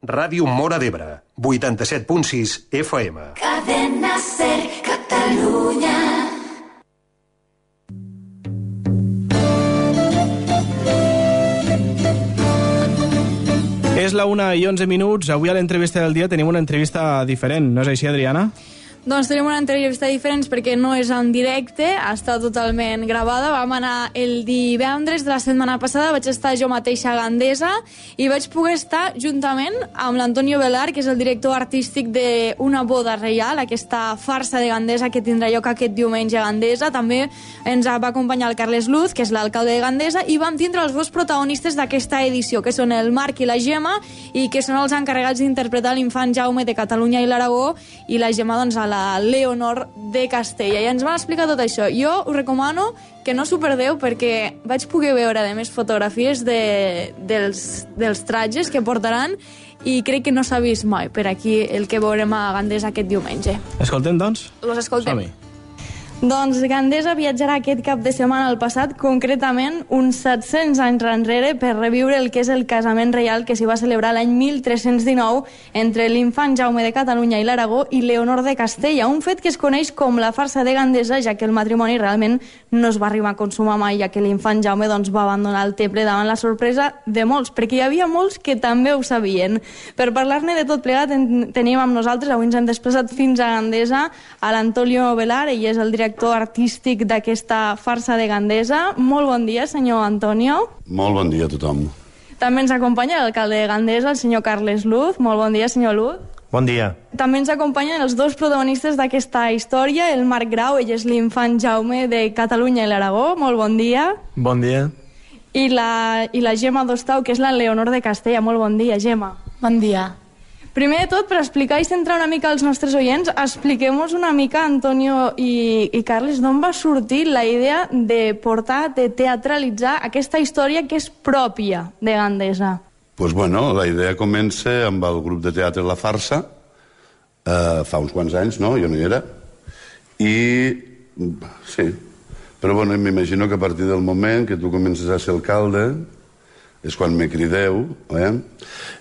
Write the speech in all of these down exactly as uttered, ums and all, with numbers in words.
Ràdio Móra d'Ebre, vuitanta-set punt sis F M. Cadena Ser Catalunya. És la una i onze minuts. Avui a l'entrevista del dia tenim una entrevista diferent. No és així, Adriana? Doncs tenim una entrevista diferent perquè no és en directe, està totalment gravada. Vam anar el divendres de la setmana passada, vaig estar jo mateixa a Gandesa i vaig poder estar juntament amb l'Antonio Velar, que és el director artístic d'Una boda reial, aquesta farsa de Gandesa que tindrà lloc aquest diumenge a Gandesa. També ens va acompanyar el Carles Luz, que és l'alcalde de Gandesa, i vam tindre els dos protagonistes d'aquesta edició, que són el Marc i la Gemma, i que són els encarregats d'interpretar l'infant Jaume de Catalunya i l'Aragó, i la Gemma, doncs, a la Leonor de Castella. I ens van explicar tot això. Jo us recomano que no s'ho perdeu perquè vaig poder veure, a més, fotografies de, dels, dels tratges que portaran i crec que no s'ha vist mai per aquí el que veurem a Gandesa aquest diumenge. Escoltem, doncs? Los escoltem. Som-hi. Doncs Gandesa viatjarà aquest cap de setmana al passat, concretament uns set-cents anys enrere, per reviure el que és el casament reial que s'hi va celebrar l'any mil tres-cents dinou entre l'infant Jaume de Catalunya i l'Aragó i Leonor de Castella, un fet que es coneix com la farsa de Gandesa, ja que el matrimoni realment no es va arribar a consumar mai, ja que l'infant Jaume doncs, va abandonar el teple davant la sorpresa de molts, perquè hi havia molts que també ho sabien. Per parlar-ne de tot plegat en tenim amb nosaltres, avui ens hem desplaçat fins a Gandesa, a l'Antonio Velar, ell és el director artístic d'aquesta farsa de Gandesa. Molt bon dia, senyor Antonio. Molt bon dia a tothom. També ens acompanya l'alcalde de Gandesa, el senyor Carles Luz. Molt bon dia, senyor Luz. Bon dia. També ens acompanyen els dos protagonistes d'aquesta història, el Marc Grau, ell és l'infant Jaume de Catalunya i l'Aragó. Molt bon dia. Bon dia. I la, i la Gemma Dostau, que és la Leonor de Castella. Molt bon dia, Gemma. Bon dia. Primer de tot, per explicar i centrar una mica als nostres oients, expliquem-nos una mica, Antonio i, i Carles, d'on va sortir la idea de portar, de teatralitzar aquesta història que és pròpia de Gandesa. Pues bueno, la idea comença amb el grup de teatre La Farsa, eh, fa uns quants anys, no? Jo no hi era. I, sí, però bueno, m'imagino que a partir del moment que tu comences a ser alcalde, és quan me crideu, eh?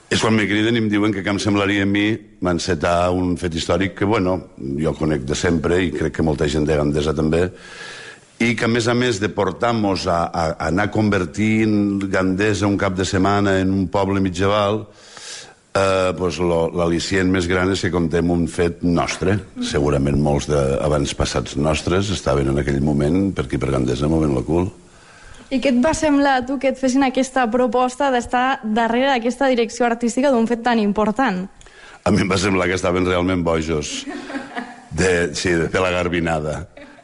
És quan me criden i em diuen que què em semblaria a mi encetar un fet històric que, bueno, jo conec de sempre i crec que molta gent de Gandesa també, i que a més a més de portar-nos a, a, a anar convertint Gandesa un cap de setmana en un poble mitjaval, eh, pues l'al·licient més gran és que contem un fet nostre. Segurament molts d'abans passats nostres estaven en aquell moment per aquí per Gandesa movent la cul. I què et va semblar a tu que et fessin aquesta proposta d'estar darrere d'aquesta direcció artística d'un fet tan important? A mi em va semblar que estaven realment bojos. De, sí, de fer la garbinada.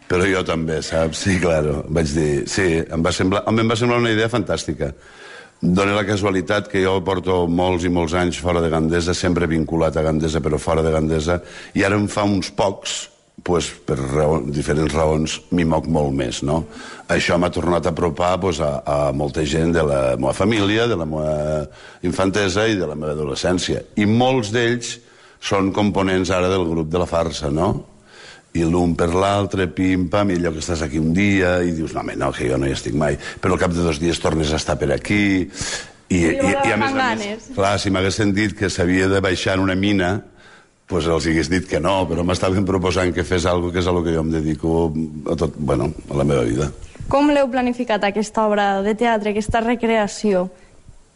Però jo també, saps? Sí, claro. Vaig dir, sí, em va semblar, em va semblar una idea fantàstica. Dóna la casualitat que jo porto molts i molts anys fora de Gandesa, sempre vinculat a Gandesa, però fora de Gandesa, i ara em fa uns pocs, pues, per raó, diferents raons, m'hi moc molt més, no? Això m'ha tornat a apropar pues, a, a molta gent de la meva família, de la meva infantesa i de la meva adolescència. I molts d'ells són components ara del grup de La Farsa, no? I l'un per l'altre, pim-pam, i allò que estàs aquí un dia i dius, no, home, no, que jo no hi estic mai. Però al cap de dos dies tornes a estar per aquí. I, i, i, i a més a més, clar, si m'hagués sentit que s'havia de baixar en una mina, pues els hagués dit que no, però m'estaven proposant que fes alguna cosa que és a lo que jo em dedico a tot, bueno, a la meva vida. Com l'heu planificat, aquesta obra de teatre, aquesta recreació?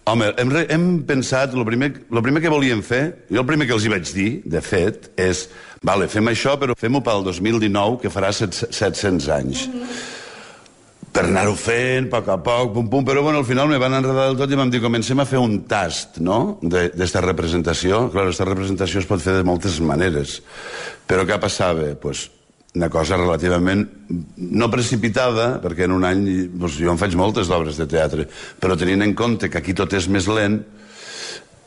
Home, hem, hem pensat, el primer, lo primer que volíem fer, jo el primer que els hi vaig dir, de fet, és, vale, fem això, però fem-ho pel dos mil dinou, que farà set-cents anys. Mm-hmm. Per anar-ho fent, a poc a poc, pum, pum, però bueno, al final me van enredar del tot i vam dir, comencem a fer un tast, no?, d'esta representació. Clar, aquesta representació es pot fer de moltes maneres, però què passava? Pues una cosa relativament no precipitada, perquè en un any pues, jo en faig moltes d'obres de teatre, però tenint en compte que aquí tot és més lent,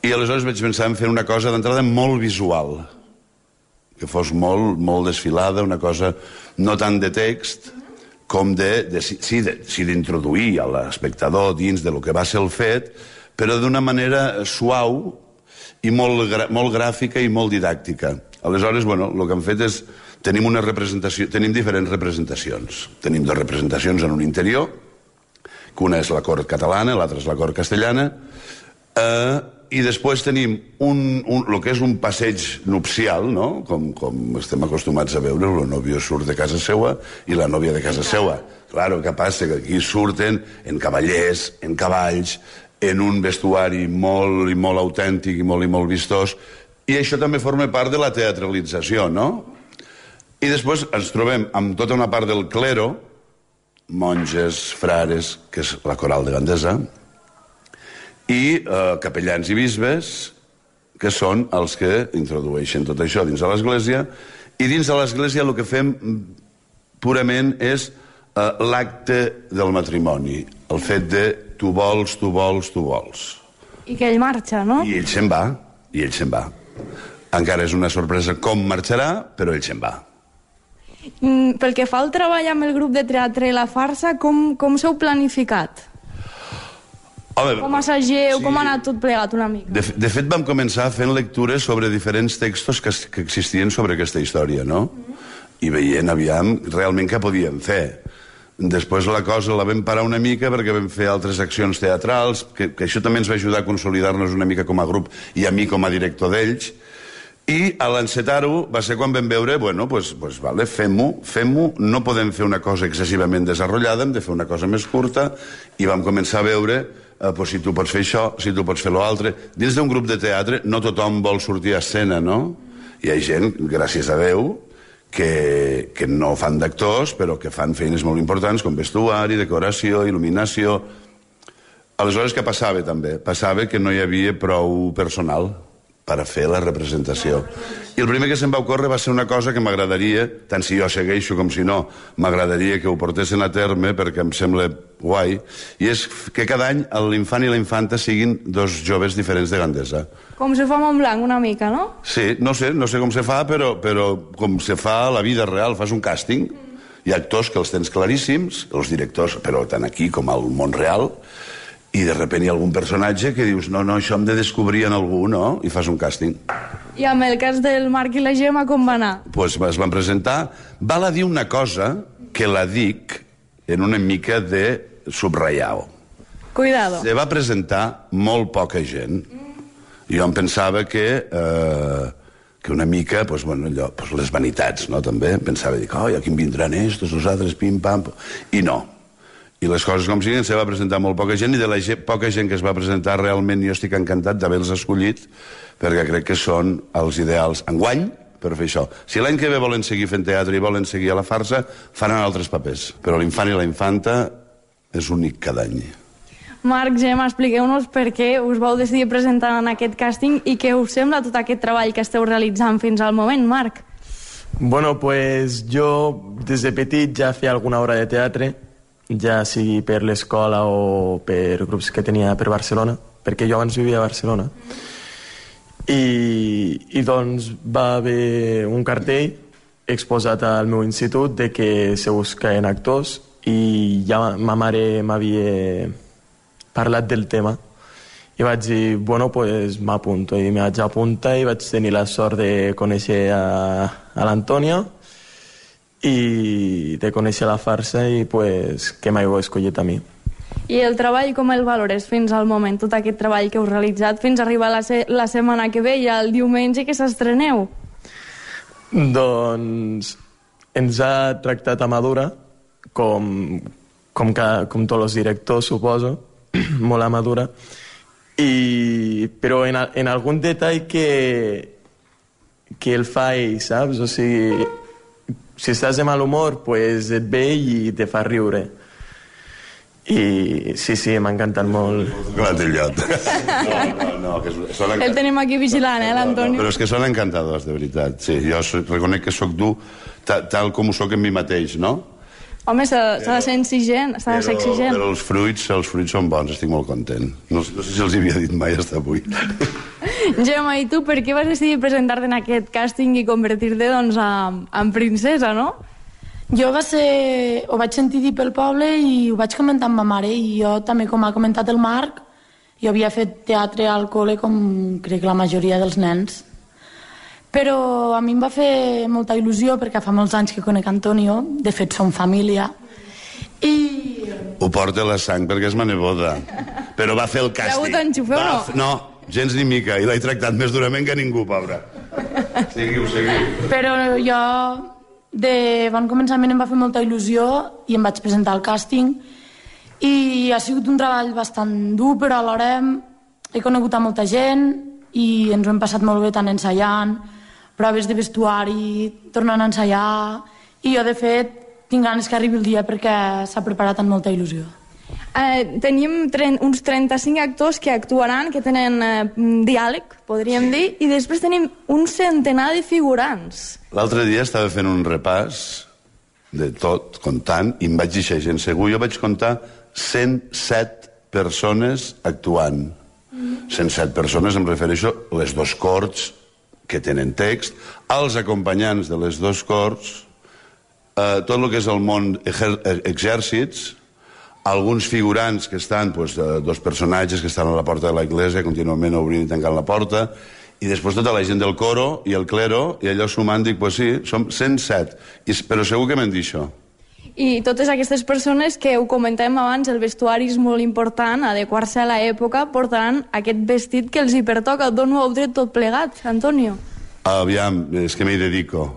i aleshores vaig pensar en fer una cosa d'entrada molt visual, que fos molt, molt desfilada, una cosa no tant de text, com de, de, sí, de, sí, d'introduir a l'espectador dins de lo que va ser el fet, però d'una manera suau i molt, molt gràfica i molt didàctica. Aleshores, bueno, el que hem fet és, tenim una representació, tenim diferents representacions. Tenim dues representacions en un interior, que una és la cort catalana, l'altra és la cort castellana, eh, i després tenim un, un, el que és un passeig nupcial, no? Com, com estem acostumats a veure, el nòvio surt de casa seua i la nòvia de casa seua. Claro, què passa? Que aquí surten en cavallers, en cavalls, en un vestuari molt i molt autèntic i molt i molt vistós, i això també forma part de la teatralització, no? I després ens trobem amb tota una part del clero, monges, frares, que és la coral de Gandesa, i eh, capellans i bisbes, que són els que introdueixen tot això dins de l'església, i dins de l'església el que fem purament és eh, l'acte del matrimoni, el fet de tu vols, tu vols, tu vols. I que ell marxa, no? I ell se'n va, i ell se'n va. Encara és una sorpresa com marxarà, però ell se'n va. Mm, pel que fa al treball amb el grup de teatre La Farsa, com, com s'heu planificat? Home, com assageu, sí. Com ha anat tot plegat una mica? De, de fet, vam començar fent lectures sobre diferents textos que, que existien sobre aquesta història, no? Mm-hmm. I veient, aviam, realment què podíem fer. Després la cosa la vam parar una mica perquè vam fer altres accions teatrals, que, que això també ens va ajudar a consolidar-nos una mica com a grup i a mi com a director d'ells. I a l'encetar-ho va ser quan vam veure, bueno, pues, pues vale, fem-ho, fem-ho, no podem fer una cosa excessivament desarrollada, hem de fer una cosa més curta, i vam començar a veure eh, pues, si tu pots fer això, si tu pots fer l'altre. Dins d'un grup de teatre no tothom vol sortir a escena, no? Hi ha gent, gràcies a Déu, que, que no fan d'actors, però que fan feines molt importants, com vestuari, decoració, il·luminació. Aleshores, què passava, també? Passava que no hi havia prou personal per a fer la representació. I el primer que se'm va ocórrer va ser una cosa que m'agradaria, tant si jo segueixo com si no, m'agradaria que ho portessin a terme perquè em sembla guai, i és que cada any l'infant i la infanta siguin dos joves diferents de Gandesa. Com se fa a Montblanc, una mica, no? Sí, no sé, no sé com se fa, però, però com se fa a la vida real, fas un càsting, hi ha actors que els tens claríssims, els directors, però tant aquí com al món real, i de sobte hi ha algun personatge que dius no, no, això hem de descobrir en algú, no? I fas un càsting. I amb el cas del Marc i la Gemma, com va anar? Pues es van presentar. Val a dir una cosa que la dic en una mica de subratllar-ho. Cuidado. Se va presentar molt poca gent. Jo em pensava que... Eh, que una mica, pues, bueno, allò, pues, les vanitats, no?, també. Pensava, dic, oh, aquí em vindran estos, els altres, pim, pam... I no. I les coses com siguin, se va presentar molt poca gent, i de la gent, poca gent que es va presentar realment jo estic encantat d'haver-los escollit, perquè crec que són els ideals enguany per fer això. Si l'any que ve volen seguir fent teatre i volen seguir a la farsa, faran altres papers. Però l'infant i la infanta és únic cada any. Marc, Gemma, expliqueu-nos per què us vau decidir presentar en aquest càsting i què us sembla tot aquest treball que esteu realitzant fins al moment, Marc? Bueno, pues jo des de petit ja feia alguna obra de teatre, ja sigui per l'escola o per grups que tenia per Barcelona, perquè jo abans vivia a Barcelona. I, i doncs va haver un cartell exposat al meu institut de que se buscaven actors i ja ma mare m'havia parlat del tema i vaig dir, bueno, pues m'apunto, i me vaig apuntar i vaig tenir la sort de conèixer a, a l'Antònia i de conèixer la farsa i pues, que m'heu escollit a mi. I el treball com el valores fins al moment, tot aquest treball que heu realitzat fins a arribar la, se la setmana que ve i el diumenge que s'estreneu? Doncs ens ha tractat a madura, com, com, que, com tots els directors, suposo, molt a madura, i, però en, en algun detall que, que el fa ell, saps? O sigui, si estàs de mal humor, pues et ve i te fa riure. I sí, sí, m'ha encantat molt. Clar, té llot. No, no, no. Que són el tenim aquí vigilant, eh, l'Antoni? No, no, però és que són encantadors, de veritat. Sí, jo reconec que sóc dur ta, tal com ho sóc en mi mateix, no? Home, s'ha de ser exigent, s'ha de ser exigent. Però els fruits, els fruits són bons, estic molt content. No, no sé si els havia dit mai fins avui. Gemma, i tu per què vas decidir presentar-te en aquest càsting i convertir-te, doncs, en, en princesa, no? Jo va ser... ho vaig sentir dir pel poble i ho vaig comentar amb ma mare, i jo també, com ha comentat el Marc, jo havia fet teatre al col·le com crec la majoria dels nens. Però a mi em va fer molta il·lusió perquè fa molts anys que conec Antonio, de fet som família, i... Ho porta a la sang perquè és ma neboda. Però va fer el càsting. Ja ho t'enxufeu, no? No, gens ni mica, i l'he tractat més durament que ningú, pobra. Seguiu, seguiu. Però jo, de bon començament em va fer molta il·lusió i em vaig presentar al càsting i ha sigut un treball bastant dur, però alhora he conegut a molta gent i ens ho hem passat molt bé tant ensaiant, proves de vestuari, tornant a ensaiar, i jo, de fet, tinc ganes que arribi el dia perquè s'ha preparat amb molta il·lusió. Eh, tenim uns trenta-cinc actors que actuaran, que tenen eh, diàleg, podríem dir, i després tenim un centenar de figurants. L'altre dia estava fent un repàs de tot, comptant, i em vaig deixar gent segur. Jo vaig comptar cent set persones actuant. Mm. cent set persones, em refereixo a les dos corts que tenen text, als acompanyants de les dos corts, eh, tot el que és el món exèrcits, alguns figurants que estan, doncs, dos personatges que estan a la porta de l'església, contínuament obrint i tancant la porta, i després tota la gent del coro i el clero, i allò sumant dic, doncs sí, som cent set, I, però segur que m'han dit això. I totes aquestes persones que ho comentàvem abans, el vestuari és molt important, adequar-se a l'època, portaran aquest vestit que els hi pertoca. D'on ho heu tret tot plegat, Antonio? Aviam, és que m'hi dedico.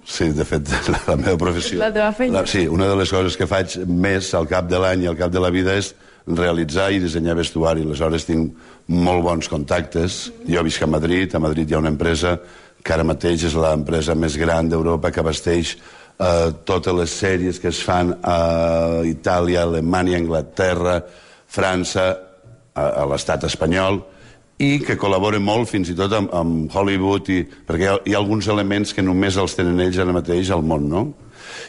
Sí, de fet, la, la meva professió... La teva feina. La, sí, una de les coses que faig més al cap de l'any i al cap de la vida és realitzar i dissenyar vestuari. Aleshores tinc molt bons contactes. Jo visc a Madrid, a Madrid hi ha una empresa que ara mateix és l'empresa més gran d'Europa que abasteix eh, totes les sèries que es fan a Itàlia, Alemanya, Anglaterra, França, a, a l'estat espanyol, i que col·labora molt fins i tot amb, amb Hollywood, i, perquè hi ha, hi ha alguns elements que només els tenen ells ara mateix al món, no?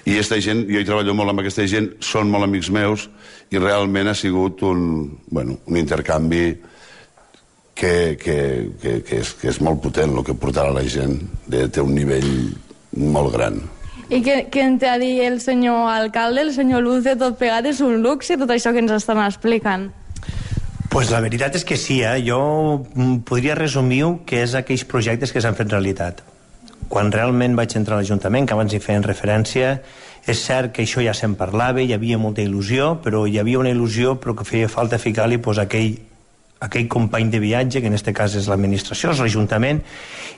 I aquesta gent, jo hi treballo molt amb aquesta gent, són molt amics meus, i realment ha sigut un, bueno, un intercanvi que, que, que, que, és, que és molt potent, el que portarà la gent, de, té un nivell molt gran. I què, què en té a dir el senyor alcalde, el senyor Luce, tot plegat és un luxe, tot això que ens estan explicant? Pues la veritat és que sí, eh? Jo podria resumir-ho que és aquells projectes que s'han fet realitat. Quan realment vaig entrar a l'Ajuntament, que abans hi feien referència, és cert que això ja se'n parlava, hi havia molta il·lusió, però hi havia una il·lusió però que feia falta ficar-li pues, aquell, aquell company de viatge, que en aquest cas és l'administració, és l'Ajuntament,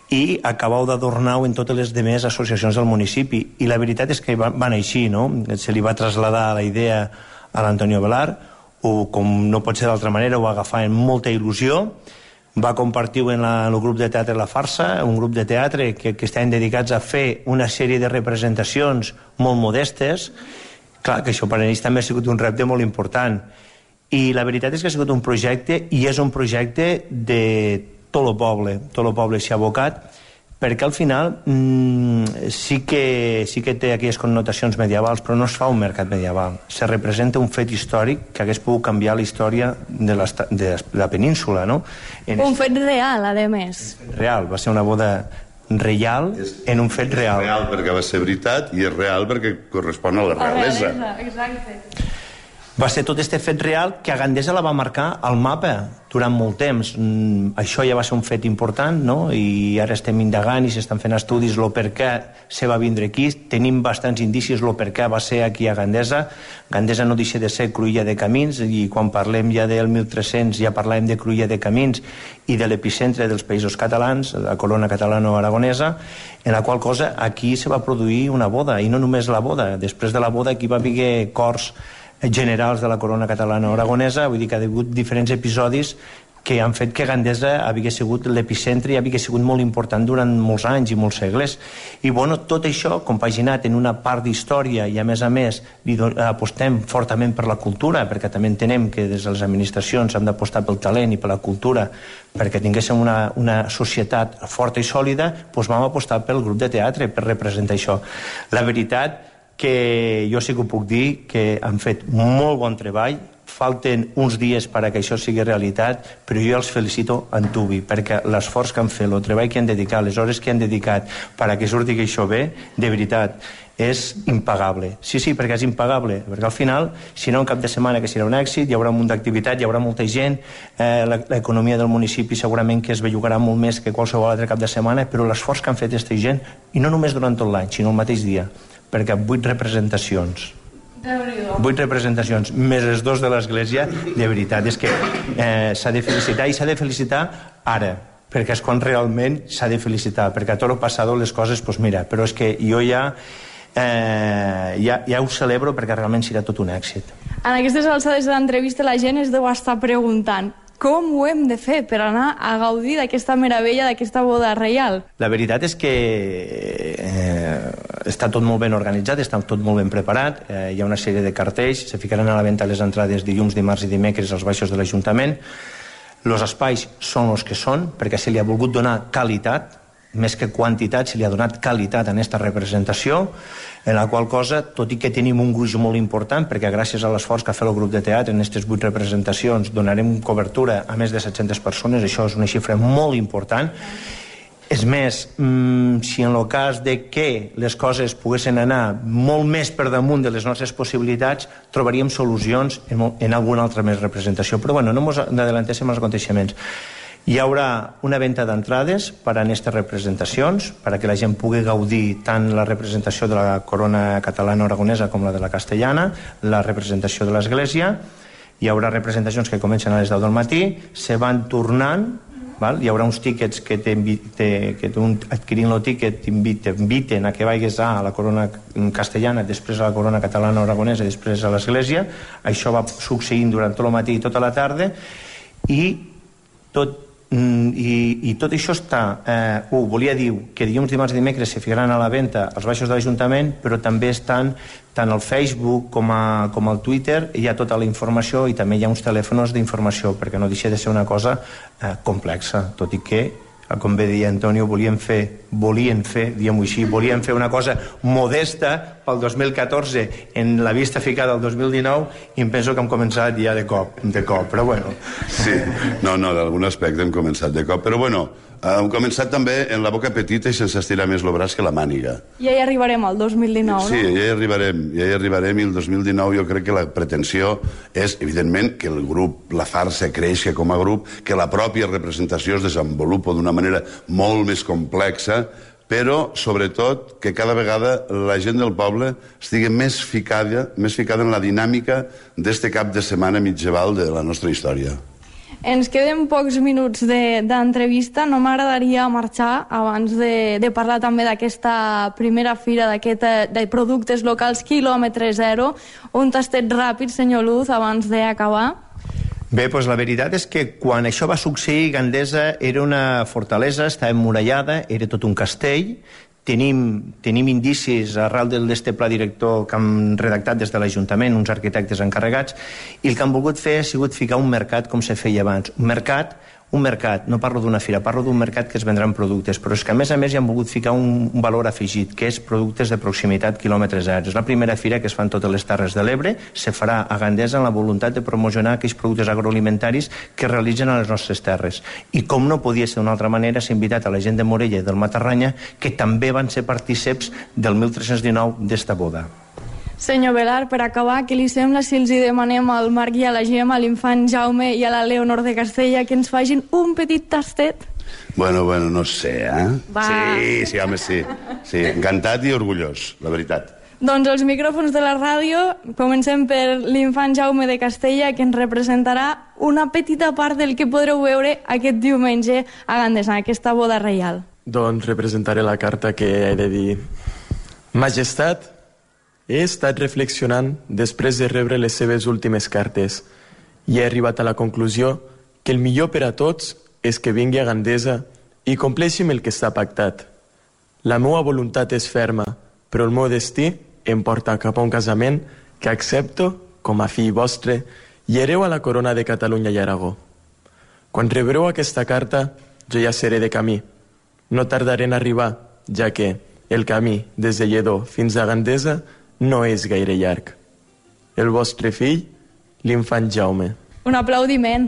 i acabau d'adornar-ho en totes les demés associacions del municipi. I la veritat és que van, van així, no? Se li va traslladar la idea a l'Antonio Velar, o com no pot ser d'altra manera, ho va agafar amb molta il·lusió, va compartir-ho en, la, en el grup de teatre La Farsa, un grup de teatre que, que estaven dedicats a fer una sèrie de representacions molt modestes. Clar, que això per a ells també ha sigut un repte molt important. I la veritat és que ha sigut un projecte, i és un projecte de tot el poble, tot el poble s'hi ha abocat, perquè al final mmm, sí, que, sí que té aquelles connotacions medievals, però no es fa un mercat medieval. Se representa un fet històric que hagués pogut canviar la història de la, de la península, no? En un fet real, a més. Real, va ser una boda reial en un fet real. És real perquè va ser veritat i és real perquè correspon a la realesa. La realesa, exacte. Va ser tot este fet real que a Gandesa la va marcar al mapa durant molt temps. Mm, això ja va ser un fet important, no? I ara estem indagant i s'estan fent estudis el per què se va vindre aquí. Tenim bastants indicis el per què va ser aquí a Gandesa. Gandesa no deixa de ser cruïlla de camins, i quan parlem ja del mil tres-cents ja parlem de cruïlla de camins i de l'epicentre dels països catalans, la corona catalano-aragonesa, en la qual cosa aquí se va produir una boda, i no només la boda. Després de la boda aquí va haver cors generals de la corona catalana-aragonesa, vull dir que ha hagut diferents episodis que han fet que Gandesa havia sigut l'epicentre i havia sigut molt important durant molts anys i molts segles. I bueno, tot això compaginat en una part d'història, i a més a més apostem fortament per la cultura, perquè també entenem que des de les administracions hem d'apostar pel talent i per la cultura perquè tinguéssim una, una societat forta i sòlida, doncs vam apostar pel grup de teatre per representar això. La veritat que jo sí que ho puc dir, que han fet molt bon treball, falten uns dies perquè això sigui realitat, però jo els felicito en tubi, perquè l'esforç que han fet, el treball que han dedicat, les hores que han dedicat perquè surti això bé, de veritat, és impagable. Sí, sí, perquè és impagable, perquè al final, si no un cap de setmana que serà un èxit, hi haurà un munt d'activitat, hi haurà molta gent, eh, l'economia del municipi segurament que es bellugarà molt més que qualsevol altre cap de setmana, però l'esforç que han fet aquesta gent, i no només durant tot l'any, sinó el mateix dia, perquè vuit representacions Vuit representacions, més els dos de l'església. De veritat, és que eh, s'ha de felicitar, i s'ha de felicitar ara, perquè és quan realment s'ha de felicitar, perquè a tot el passat les coses, doncs mira, però és que jo ja, eh, ja, ja ho celebro perquè realment serà tot un èxit. En aquestes alçades de l'entrevista la gent es deu estar preguntant com ho hem de fer per anar a gaudir d'aquesta meravella, d'aquesta boda reial? La veritat és que eh, està tot molt ben organitzat, està tot molt ben preparat, eh, hi ha una sèrie de cartells, se ficaran a la venda les entrades dilluns, dimarts i dimecres als baixos de l'Ajuntament. Els espais són els que són, perquè se li ha volgut donar qualitat, més que quantitat, se li ha donat qualitat en aquesta representació, en la qual cosa, tot i que tenim un gruix molt important, perquè gràcies a l'esforç que ha fet el grup de teatre en aquestes vuit representacions donarem cobertura a més de set-centes persones, això és una xifra molt important. És més, si en el cas de que les coses poguessin anar molt més per damunt de les nostres possibilitats, trobaríem solucions en alguna altra més representació. Però bueno, no ens adelantéssim als aconteixements. Hi haurà una venda d'entrades per a aquestes representacions, perquè la gent pugui gaudir tant la representació de la corona catalana aragonesa com la de la castellana, la representació de l'església. Hi haurà representacions que comencen a les deu del matí, se van tornant, val? Hi haurà uns tíquets que, que un, adquirint el tíquet t'inviten a que vagis a la corona castellana, després a la corona catalana aragonesa i després a l'església. Això va succeint durant tot el matí i tota la tarda, i tot I, i tot això està eh, uh, volia dir que dilluns, dimarts i dimecres se ficaran a la venda als baixos de l'Ajuntament, però també estan tant al Facebook com, a, com al Twitter, hi ha tota la informació i també hi ha uns telèfons d'informació, perquè no deixa de ser una cosa eh, complexa, tot i que, com bé deia Antonio, volien fer, volien fer, diguem-ho així, volien fer una cosa modesta pel dos mil catorze en la vista ficada al dos mil dinou, i em penso que hem començat ja de cop, de cop, però bueno. Sí, no, no, d'algun aspecte hem començat de cop, però bueno, hem començat també en la boca petita i sense estirar més el braç que la màniga. Ja hi arribarem al dos mil dinou, no? Sí, ja hi arribarem, ja hi arribarem, i el dos mil dinou jo crec que la pretensió és, evidentment, que el grup, la farsa creixi com a grup, que la pròpia representació es desenvolupa d'una manera molt més complexa, però, sobretot, que cada vegada la gent del poble estigui més ficada, més ficada en la dinàmica d'este cap de setmana mitjaval de la nostra història. Ens queden pocs minuts d'entrevista. No m'agradaria marxar abans de, de parlar també d'aquesta primera fira d'aquest de productes locals quilòmetre zero. Un tastet ràpid, senyor Luz, abans d'acabar. Bé, doncs la veritat és que quan això va succeir, Gandesa era una fortalesa, estava emmurallada, era tot un castell. Tenim, tenim indicis arrel d'este pla director que han redactat des de l'Ajuntament, uns arquitectes encarregats, i el que han volgut fer ha sigut ficar un mercat com se feia abans. Un mercat, un mercat, no parlo d'una fira, parlo d'un mercat que es vendran productes, però és que a més a més hi han volgut ficar un, un valor afegit, que és productes de proximitat quilòmetre zero. És la primera fira que es fa en totes les Terres de l'Ebre, se farà a Gandesa amb la voluntat de promocionar aquells productes agroalimentaris que es realitzen a les nostres terres. I com no podia ser d'una altra manera, s'ha invitat a la gent de Morella i del Matarranya, que també van ser partíceps del mil tres-cents dinou d'esta boda. Senyor Velar, per acabar, què li sembla si els hi demanem al Marc i a la Gemma, a l'infant Jaume i a la Leonor de Castella, que ens facin un petit tastet? Bueno, bueno, no sé, eh? Va. Sí, sí, home, sí. Sí, encantat i orgullós, la veritat. Doncs els micròfons de la ràdio, comencem per l'infant Jaume de Castella, que ens representarà una petita part del que podreu veure aquest diumenge a Gandesa, aquesta boda reial. Doncs representaré la carta que he de dir. Majestat, he estat reflexionant després de rebre les seves últimes cartes i he arribat a la conclusió que el millor per a tots és que vingui a Gandesa i compleixi amb el que està pactat. La meva voluntat és ferma, però el meu destí em porta cap a un casament que accepto com a fill vostre i hereu a la corona de Catalunya i Aragó. Quan rebreu aquesta carta, jo ja seré de camí. No tardaré en arribar, ja que el camí des de Lledó fins a Gandesa no és gaire llarg. El vostre fill, l'infant Jaume. Un aplaudiment.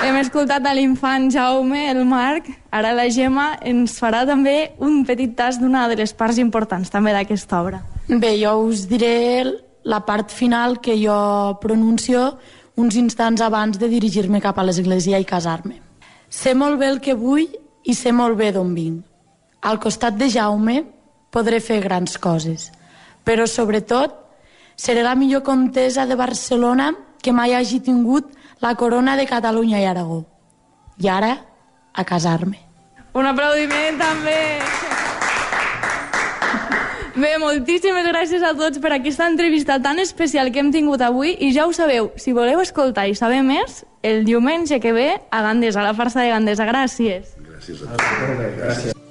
Hem escoltat a l'infant Jaume, el Marc. Ara la Gemma ens farà també un petit tast d'una de les parts importants també d'aquesta obra. Bé, jo us diré la part final que jo pronuncio uns instants abans de dirigir-me cap a l'església i casar-me. Sé molt bé el que vull i sé molt bé d'on vinc. Al costat de Jaume podré fer grans coses. Però, sobretot, seré la millor comtessa de Barcelona que mai hagi tingut la corona de Catalunya i Aragó. I ara, a casar-me. Un aplaudiment, també! Bé, moltíssimes gràcies a tots per aquesta entrevista tan especial que hem tingut avui i ja ho sabeu, si voleu escoltar i saber més, el diumenge que ve a Gandesa, a la farsa de Gandesa. Gràcies. Gràcies a tots. Gràcies.